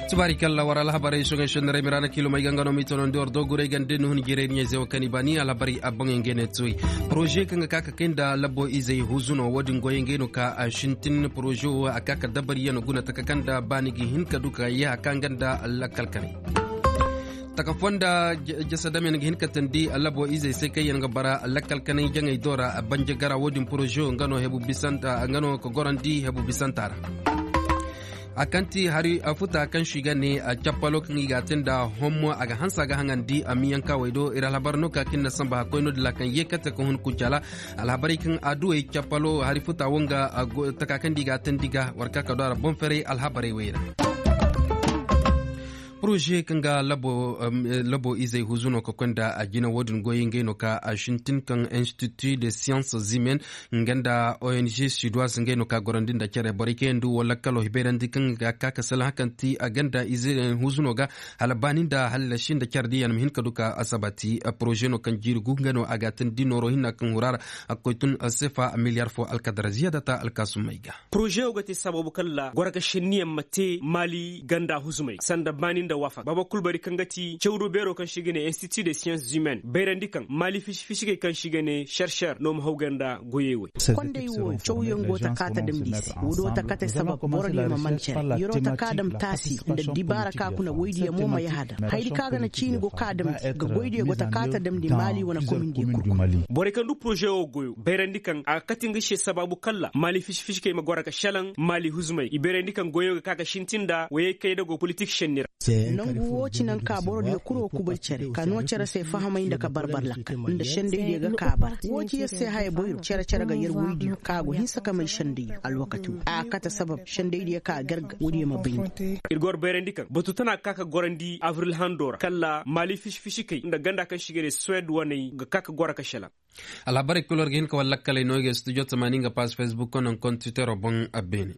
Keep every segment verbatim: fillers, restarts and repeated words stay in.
Tubaari kalla war alhabarey soŋey sendaray miraana kiilomey ga nga no m'i tonandi war dooguray gande ni hun jirey ni ɲey ze wo kaŋ i baani alhabarey a boŋey ngey ne tuwey. Poroze kaŋ ga ka ka kay nda labo izey huzuno wo-din goyey ngey no ka a sintin poroze wo a ka ka dabariyaŋ guna taka kaŋ nda baani ga hin ka du ka yee a ka nga nda lakkal kanay. Taka fonda jasa dame nga hin ka tandi labo izey se kaŋ yaŋ ga bara lakkal kanay jaŋey do ra banje gara wo-din poroze wo nga no hebu bisanta nga no ka gorandi hebu bisanta ra. A kaŋ ti hari futa kaŋ si ga ne cappalo kaŋ i ga a te nda hommo a ga hanse a ga haŋandi a miyanka wey do ir alhabar no ka kaŋ na samba hakkoy no dila kaŋ yeekate ka hun kuncala. Alhabarey kaŋ a duwey cappalo hari futa wo nga taka kaŋ di i ga a te ndi ga war ka ka do a ra boŋ ferey alhabarey wey ra. Poroze kaŋ ga labo izey huzu no ka koy nda a jina wo-din goyey ngey no ka a sintin kaŋ institut de sciences humaines nga nda ong sudoise ngey no ka gorandi nda care borey kaŋ yaŋ du wala kalo hibayrandi kaŋ ga ka ka sala haŋ kaŋ ti a ganda ize huzuno ga hala baani nda hala si nda care diyaŋ ma hin ka du ka asabati. Poroze no kaŋ jiiri gu nga no a ga tandi nooro hinna kaŋ hura ra a ga koy tun sefa miliyar fo alkadara ziyadata alkaasumey ga. Poroze wo ga te sababu kaŋ ra goro ga senniyaŋ ma te maali ganda huzumey sanda baani nda waafak baba kul bari kaŋ ga ti cawdo beero kaŋ se i ga ne institut de sciences humaines bayrandi kaŋ maali fisi-fisikey kaŋ se i ga ne serser no ma haw ganda goyey wey. Kondey wo cawyaŋ go ta ka ta damndi se wo do ta kate sabab boro diyo ma man cere yero ta ka dam taasi nda dibaara ka kuna woydiyo mo ma yahada haydi ka ga na ciini go ka damndi ga goydiyo go ta ka ta damndi maali wane komindiyo kul. Borey kaŋ du poroze wo goyo bayrandi kaŋ a ga kate nga se sabaabu kalla maali fisi-fisikey ma goro ga selaŋ maali huzumey i bayrandi kaŋ goyo ga ka ga sintin nda woyey kaydago politik senni ra. Nangu wo ci naŋ ka boro diyo kul wo kubay cere ka noo cere se fahamay nda ka barbar lakkal nda sendaydiyo ga ka bara wo ci yer se haya boyro cere-cere ga yer woydiyo ka go hinsa ka may sendaydiyo alwakati wo a kate sabab sendaydiyo ka garga woodiyo ma bayndi. Ir goro bayrandi kaŋ batu tana ga ka ka gorandi abril hando ra kalla maali fisi-fisikey nda ganda kaŋ se i ga ne suwed waney ga ka ka goro ka selaŋ. Alhabarey kul war ga hin ka war lakkaley no i ga studio tamaani nga paas facebook kono nkontitero boŋ a beene.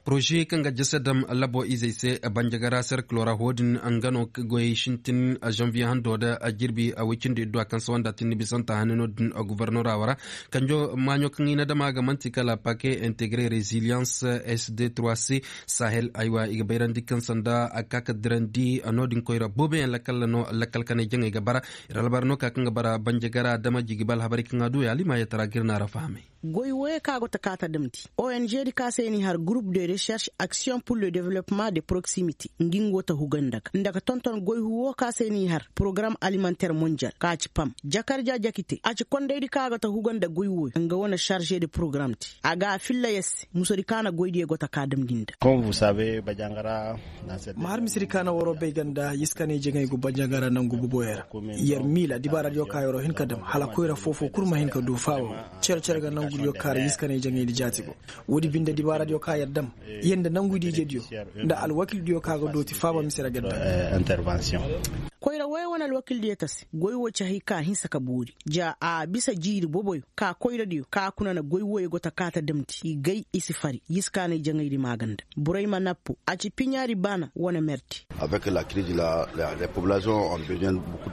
Poroze kaŋ ga jese dam labo izey se banjagara serkilo ra wo-din nga no goyey sintin zanviye hando da jirbi woy cindi iddu a kaŋ se wanda tinni bisanta hane no-din gobornora wo ra kanjo maaɲo kaŋ i na dama ga man'ti kala pake integre resilience sd trois c sahel aywa i ga bayrandi kaŋ sanda a ga ka ka dirandi no-din koyra booboyaŋ lakkal no lakkal kanay jaŋey ga bara. Ir albar no ka kaŋ ga bara banjagara dama jigi ba alhabarey kaŋ a du yaali maayatara ga ir na ra fahamay. Goy woyey kaŋ a go ta ka ta damndi ong di ka se i n'i har groupe de recherche action pour le développement de proximité nga nga go ta huga nda ga nda ga tonton goy hu wo ka se i n'i har porogaram alimentaire mondial ka ci pam jakarja jakite a ci kondaydi kaŋ a go ta huga nda goy woyo nga wane charge de porogaram te a ga a filla yer se musadi kaŋ a na goydiyo go ta ka damndi nda. Ma har misedi kaŋ a na waroo bay ganda yiskanay jaŋay go banjagara nangu boboyo ra. Yer miila dibaaradiyo kaŋ yeroo hin ka dam hala koyra foo-foo kul ma hin ka du faaba. Cere-cere ga nangudiyo kaŋ ra yiskanay jaŋaydi jaati go. Woodi binde dibaaradiyo kaŋ yer dam yer nda nangudiijediyo nda alwakildiyo kaŋ a ga dooti faaba mise ra ga dam. Koyra woyo wane alwakildiyo ta se goy wo ci hay kaŋ a hinsa ka boori ja a bisa jiiri boboyo ka koyradiyo ka kuna na goy woyo go ta ka ta damndi i gay i si fari yiskaanay jaŋaydi maaganda borey ma nappo a ci piɲaari baana wane merdi.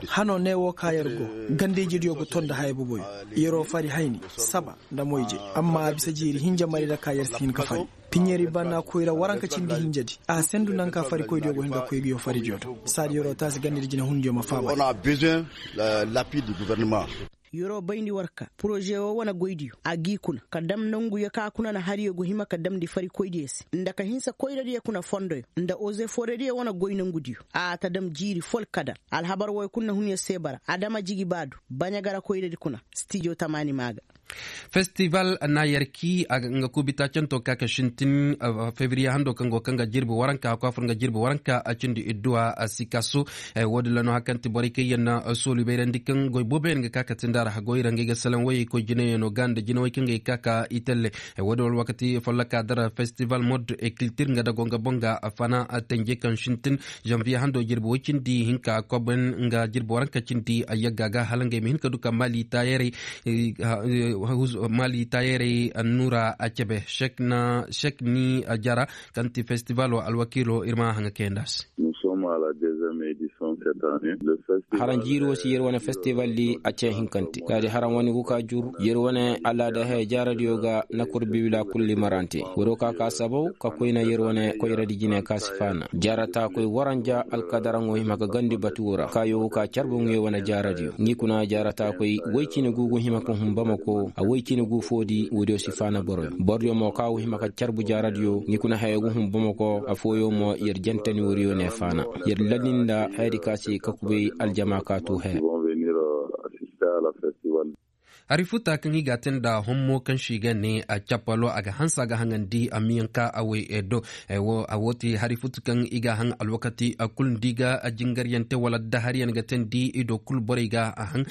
Hanoo ne wo ka yer go ganda-ijediyo ga ton nda haya boboyo yeroo fari hayni saba nda moyje amma a bisa jiiri hinja marayra ka yer si hin ka fari piɲeeri baana koyra waranka cindi hinjadi a sendu naŋ ka farikoydiyo go hin ka koy nguyo faridiyo do saadi yeroo taasi ganda nda jinehundiyo ma faaba. Yeroo bayndi war ka poroze woo wane goydiyo a g'i kuna ka dam nanguyo ka kuna na hariyo go hima ka damndi farikoydiyo se nda ka hinsa koyradiyo kuna fondoyo nda ozeforediyo wane goy nangudiyo a ta dam jiiri fol kadar alhabar woy kul na hun yer se bara adama jigi baadu baɲagara koyradi kuna stijo tamaani maa ga. Festival na yerki a ga nga kuubita canto ka ka sintin febriye hando kaŋ go kaŋ ga jirbi waranka a kwaafur nga jirbi waranka a cindi idduwa a si kasu. Woodin ra no hari kaŋ ti borey kaŋ yaŋ na sooli bayrandi kaŋ goy booboyaŋ ga ka ka tinda ra hagoy ra ngey ga salaŋ wayey koy jinayano ga nda jinawey kaŋ ga ka ka itelle. Woodin wala wakati folloka dara festival mode e kiltir nga dago nga boŋ ga fana tenje kaŋ sintin zanviye hando jirbi woy cindi hinka koben nga jirbi waranka cindi a yagga ga hala ngey ma hin ka du ka maali taayarey maali taayarey annuura a cebe sek ni a jara kaŋ ti festivalo alwakiilo ir ma haŋa kayanda se. Nous sommes à la deuxième édition. Haraŋ jiiri wo si yer wane festival di a cee hinkante. Taadi haraŋ wane gu ka jur yer wane alaada haya jaaradiyo ga na kurbi wila kulli marante. Waroo ka ka sabaw ka koyna yer wane koyradi jine ka si faana jaarata koy waranja alkadaraŋo hima ka gandi batuwo ra kaayo wo ka carbu ŋuyo wane jaaradiyo ngi kuna jaarata koy woy cine gu gu hima ka hun bamako a woy cine gu foodi woodiyo si faana boroyo borodiyo mo ka wo hima ka carbu jaaradiyo ngi kuna haya gu hun bamako a fooyo mo yer jantani woriyo ne faana yer ladinda hayadi ka se ka kubay aljama ka tu haya. Hari futa kaŋ i ga a te nda hommo kaŋ se i ga ne a capalo a ga hanse a ga haŋandi a miyanka a way do. A wo te hari futu kaŋ i ga a haŋ alwakati kulu nda i ga jingaryante wala da hariyaŋ ga te nda i do kulu borey ga a haŋ.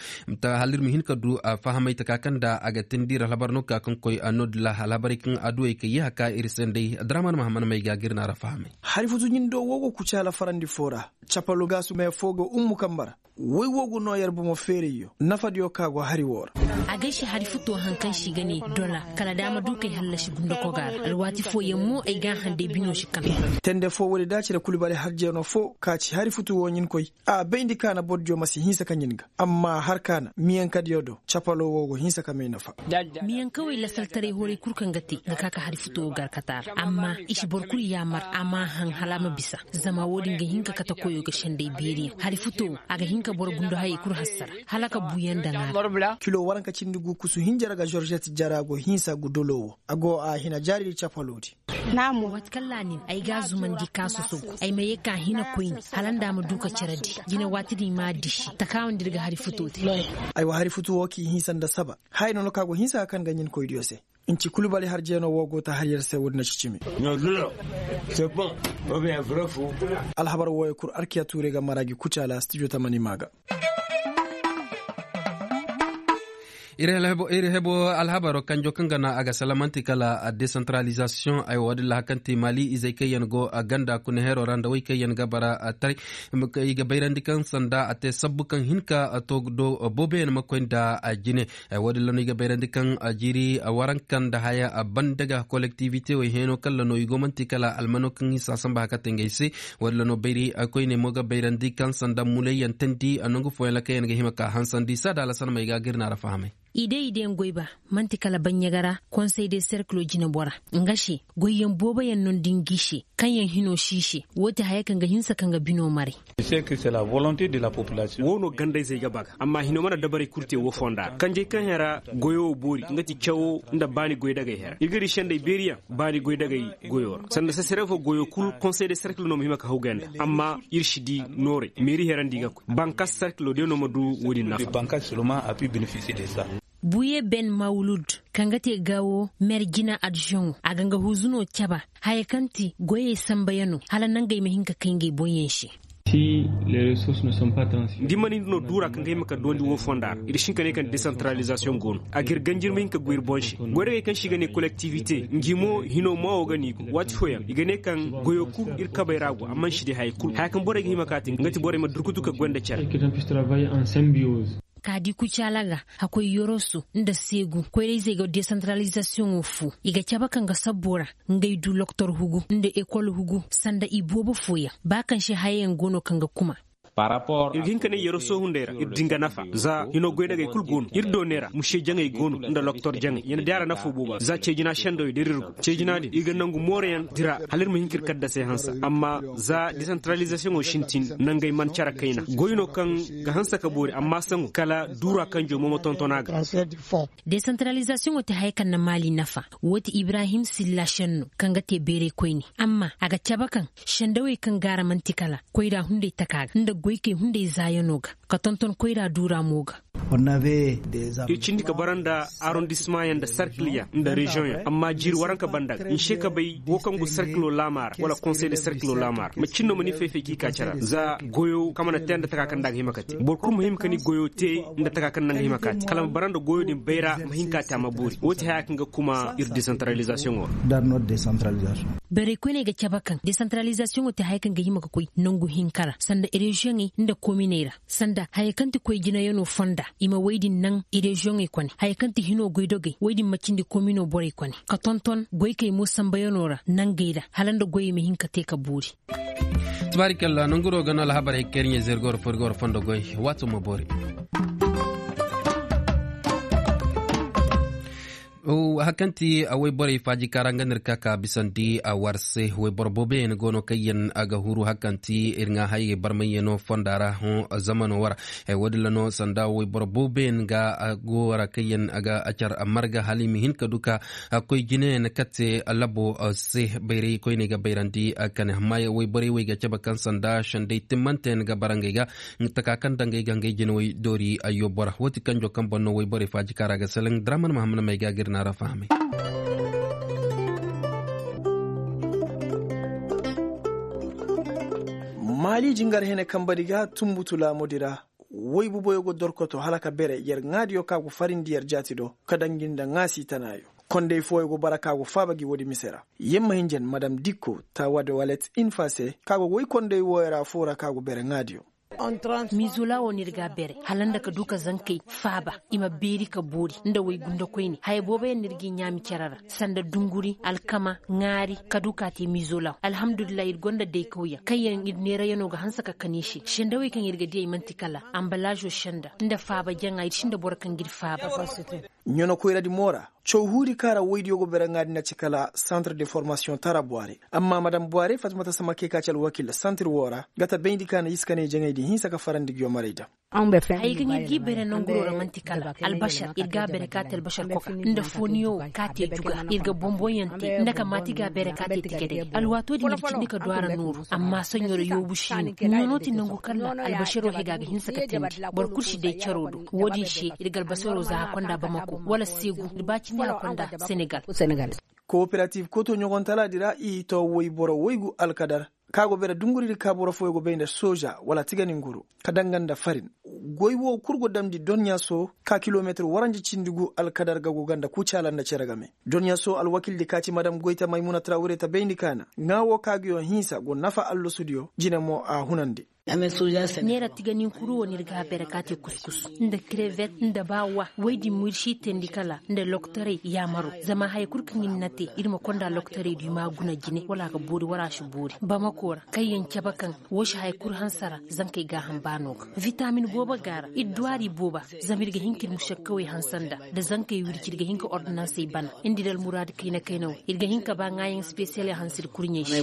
Hala ir ma hin ka du fahamay taka kaŋ nda a ga te nda ir alhabar no ka kaŋ koy a no dila alhabarey kaŋ a duwey ka yeeha ka ir se nday draman mahaman may ga ga ir na ra fahamay. Hari futu ɲindo wo go kucaala farandi fo ra. Capalo gaasu mee fo ga ummu kamba ra. Woy wo ga noo yer bomo feerayyo nafadiyo ka go hari woo ra. A gay se hari futo haŋ kaŋ se i ga ne dola kala daama du kay hallasi gundako ga ra alwaati fooyaŋ mo ay ga a haŋ day bino si kame. Tende fo woodi da cire kulu bare harjeenoo fo ka ci hari futu woo ɲin koy. A bayndi ka na bordiyo ma si hinsa ka ɲin ga amma har ka na miyankadiyo do capalo woo go hinsa ka may nafa. Miyankawey lasaltaray horay kul kaŋ ga te ga ka ka hari futo woo garkata ra amma i si boro kul yaamar a ma a haŋ hala a ma bisa. Zama woodin ga hin ka kate koyo ga senday beeriyaŋ hari futo wo a ga hin ka boro gundo hayey kul hassara hala ka buuyaŋ daŋ a ra. Kilo waranka cindi gu kusu hinja ra ga žoržet jara go hinsa gudolo wo a go a hina jaaridi capaloodi. Waati kaŋ ra nin ay ga a zumandi ka sosogu ay ma ye ka hina koyne hala nda a ma du ka care di jine waati din i m'a disi takaawandi ir ga hari futo te. Aywa hari futu wo k'i hinsa nda saba haya no no ka go hinsa ka kaŋ ga ɲin koydiyo se. Nci kulu bari harjeenoo woo go ta har yer se woodi na ci cimi. Alhabar wooyo kul arkiya tuurey ga mara gi kucaala stijo tamani maa ga. Ir hebo alhabaro kanjo kaŋ ga na a ga salamanti kala desantaralizasiyoŋ ay woodin lahakanti maali izey kaŋ yaŋ go ganda kuna hero ra nda wey kaŋ yaŋ ga bara taray. I ga bayrandi kaŋ sanda a te sabbu kaŋ hin ka to do booboyaŋ ma koy nda jine. Woodin la no i ga bayrandi kaŋ jiiri waranka nda haya banda ga kolektivite wey heno kala no i go manti kala almano kaŋ i si a samba haka te ngey se. Woodin la no bayri koyne mo ga bayrandi kaŋ sanda mulay yaŋ tandi nangu fooyaŋ ra kaŋ yaŋ ga hima ka hansandi saada alasan may ga gir na ra fahamay. I day i day ngoy ba manti kala baɲɲaga ra konsey de serkilo jinebora nga se goyyaŋ booboyaŋ no nda ngi se kaŋ yaŋ hino si i se. Woo ti haya kaŋ ga hinsa kaŋ ga bino maray. Woo no gandayzey ga ba ga amma hino mana dabarey kul te woo fonda ra kanjey kaŋ hera goyo wo boori nga ti cawo nda baani goydagey hera ir ga di sendey beeriyaŋ baani goydagey goyo ra sanda sasarefo goyo kul konsey de serkil no ma hima ka hawgay nda amma ir si di noorey meeri hera nda i ga koy bankas serkilo day no ma du woodin nafa. Buye ben mawlud kaŋ ga te gaawo mer jina adjoŋo a ga nga huuzu no caba haya kaŋ ti goyey sambayano hala nangey ma hin ka kay ngey boŋyaŋ se. Nda i mana hin no duura kaŋ ga hima ka doondi woo fonda ra ir si hin ka ne kaŋ desantaralizasiyoŋ go no a ga ir ganji ir ma hin ka goy ir boŋ se goy dagey kaŋ se i ga ne kolektivite ngi mo hino maawo ga no i go waati fooyaŋ i ga ne kaŋ goyo kul ir kabey ra go amma nsi di haya kul haya kaŋ borey ga hima ka te nga ti borey ma durkutu ka goy nda cere. Ka di kucaala ga hakoy yoroso nda seegu koyrayzey ga desantaralizasiyoŋo fu i ga cabe kaŋ ga sabbo ra ngey du loktor hugu nda ekol hugu sanda i boobo fooyaŋ ba kaŋ se hayayaŋ go no kaŋ ga kuma. Ir ga hin ka ne yoroso hunday ra ir din ga nafa za hino goydagey kul go no ir dooney ra muse jaŋey go no nda loktor jaŋey ya na di a ra nafo booba za ceejina sendawey da ir ir go ceejina din ir ga nangu moorayaŋ dira hala ir ma hin ka ir kaddasey hanse amma za desantaralizasiyoŋo sintin nangey man care kayna goy no kaŋ ga hanse ka boori amma saŋo kala duura kanjo mo ma tonton a ga. Desantaralizasiyoŋo te haya kaŋ na maali nafa woo ti ibrahim silla senno kaŋ ga te beerey koyne amma a ga cabe kaŋ sendawey kaŋ gaara man'ti kala koyra hunday taka ga nda goykey hunday zaayano ga ka tonton koyra duura mo ga. Ir cindi ka bara nda arondisimayaŋ nda sarkilyaŋ nda reziyoŋyaŋ amma jiiri waranka banda ga nse ka bay woo kaŋ go sarkilo laama ra wala konsey de sarkilo laama ra macin no ma ni fay-fay k'i ka care ra za goyo kaŋ mana te nda taka kaŋ nda a ga hima ka te boro kulu ma hima ka ni goyo te nda taka kaŋ nda a ga hima ka te kala ma bara nda goyo din bayra ma hin ka te a ma boori woo ti haya kaŋ ga kuma ir desantaralizasiyoŋo ra. Beerey koyney ga cabe kaŋ desantaralizasiyoŋo te haya kaŋ ga hima ka koy nangu hinka ra sanda reziyoŋey nda kominey ra sanda haya kaŋ ti koy jinayanoo fonda i ma woy din naŋ i reziyoŋey kone haya kaŋ ti hinoo goydogey woy din ma cindi kominoo borey kone ka tonton goykey mo sambayanoo ra nangey ra hala nda goyey ma hin ka te ka boori. Tabaarikalla nanguro ga no alhabar hekkerɲe zergor forgor fondo goy. Waato ma boori. Hakanti a wayborey faaji kaara nga no ir ka ka bisandi a war se wayboro booboyaŋ go no kaŋ yaŋ a ga huru hakanti ir ŋaa hayey barmayyaŋo fonda ra. Zamano wara. Woodin ra no sanda wayboro booboyaŋ ga go wara kaŋ yaŋ a ga car marga hala i ma hin ka du ka koy jineyaŋ kate labo se bayray koyney ga bayrandi. Kane amma wayborey wo i ga cabe kaŋ sanda sendey timmanteyaŋ ga bara ngey ga. Taka kaŋ daŋ ngey ga ngey jinawey doori ayyo bora wo ti kanjo kaŋ boŋ no wayborey faaji kaara ga salaŋ draman mahammad may ga ga ir naara fahamay. Maali jingar hene kambadi ga tunbutu laamudi ra. Woy buboyo go dorkoto hala ka bere yer ŋaadiyo ka go farindi yer jaati do ka daŋ gi nda ŋaasi tanaayo. Kondey fooyo go bara ka go faaba gi woodi mise ra. Yer ma hinjan madam dikko taawade walet infa se ka go woy kondey wooyo ra foo ra ka go bere ŋaadiyo. Miizola wo no ir ga a bere hala nda ka du ka zankey faaba. I ma beeri ka boori nda woy gundakoyne haya booboyaŋ no ir g'i ɲaami cere ra. Sanda dunguri alkama ŋaari ka du ka te miizola wo alhamdulillahi ir gonda daykawyaŋ kaŋ yaŋ ir neerayanoo ga hanse ka kan i se sendawey kaŋ ir ga diyey man'ti kala ambalaazo senda nda faaba jaŋa ir sinda boro kaŋ g'ir faaba. Ɲano koyradi mo ra. Caw huudi kaŋ ra woydiyo go bere ŋaadi na ci kala santre de formasiyoŋ tara buware. Amma madam buware fatimata samake ka ci alwakil santre wo ra ga ta bayndi ka na iskaney jaŋaydi hinsa ka farandi giyomarey daŋ. Hayey kaŋ ir g'i bere nanguroo ra man'ti kala albasar ir g'a bere ka te albasar koka nda fooniyo wo ka te juga ir ga bonbonyaŋ te nda ka maati g'a bere ka te tigadey. Alwaatoo din ir cindi ka du a ra nooru amma soɲo ra yoobu si no. Ɲanoo ti nangu kala albasaroo hega ga hinsa ka teendi. Boro kul si day caroo do. Woodin se ir ga albasaroo za a konda bamako wala seegu ir ba cindi a konda senegal. Kooperativ koto ɲogontalaadi ra i to woyboro woygu alkadar ka go bere dunguridi ka boro fooyo go bay nda sooja wala tiganin guru ka danga nda farin. Goy wo kul go damndi donɲa so ka kilometir waranja cindi gu alkadar ga go ga nda kucaala nda cere game. Donɲa so alwakildi ka ci madam goyta maymuna trawure ta bayndi kaana ŋaa wo ka ga yoŋ hinsa go nafa allasudiyo jine mo a hunandi. Neera tiganinkuru wo no ir ga a bere ka te kuskus nda krevet nda baawa. Woy din mo ir si teendi kala nda lokotorey yaamaro zama haya kul kaŋ ir na te ir ma konda lokotorey du i m'a guna jine wala a ga boori wala a si boori bamako ra. Kaŋ yaŋ cabe kaŋ wo si haya kul hanse ra zankey gaaham baano ga. Vitamin boobo ga a ra ir duwaari booba. Zama ir ga hin ka ir mušakkawey hanse nda nda zankey wirci ir ga hin ka ordinansey bana ir nda ir almuraadu kayna kayna wo ir ga hin ka ba ŋaayaŋ spesiyaley hanse ir kurɲey se.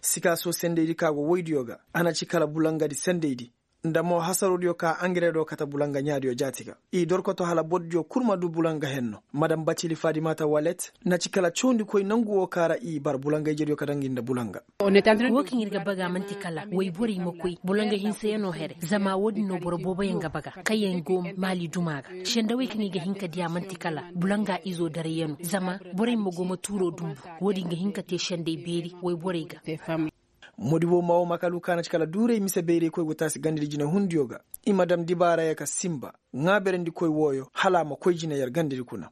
Sikaaso sendaydi ka go woydiyo ga a na ci kala bulangadi sendaydi nda mo hasarudiyo ka angare do kate bulanga ɲaadiyo jaati ga. I dorkoto hala bordiyo kul ma du bulanga henno madam bacili fadimata walet na ci kala cawndikoy nangu wo ka ra i bar bulanga ijediyo ka daŋ gi nda bulanga. Wo kaŋ ir ga baga man'ti kala woyborey ma koy bulanga hinsayanoo here zama wo-din no boro booboyaŋ ga baga kaŋ yaŋ go maali duma ga. Sendawey kaŋ i ga hin ka diya man'ti kala bulanga izo darayyanoo zama borey ma go ma tuuroo dumbu. Wo-din ga hin ka te sendey beeri woyborey ga. Modi wo ma wo makalu ka na ci kala duuray mise bayray koy go taasi gandadi jinehundiyo ga. I ma dam dibaaraya ka sinba ŋaaberandikoy wooyo hala a ma koy jine yer gandadi kuna.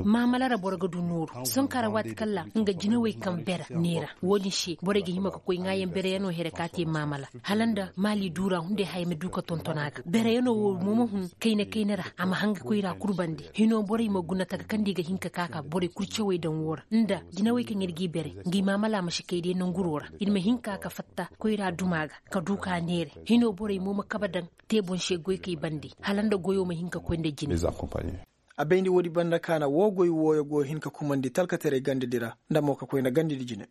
Maamala ra boro ga du nooru sonkara waati kaŋ ra nga jinawey kaŋ bere neera. Wo-din se borey ga hima ka koy ŋaayaŋ bereyanoo here ka te maamala hala nda maali duura hunday haya ma du ka tonton a ga bereyanoo wo mo ma hun kayna kayna ra a ma hanga koyra kul bande. Hinoo borey ma guna taka kaŋ da i ga hin ka ka ka borey kul cawey daŋ woo ra nda jinawey kaŋ ir g'i bere ngi maamala ma si kay day nanguroo ra. Ir ma hin ka ka fatta koyra duma ga ka du ka neere. Hinoo borey mo ma kabe daŋ te boŋ se goykey bande hala nda goyoo ma hin ka koy nda jine. A bayndi woodi banda kaana woo goy wooyo go hin ka kumandi talkataray gandadi ra nda mo ka koy nda gandadi jine.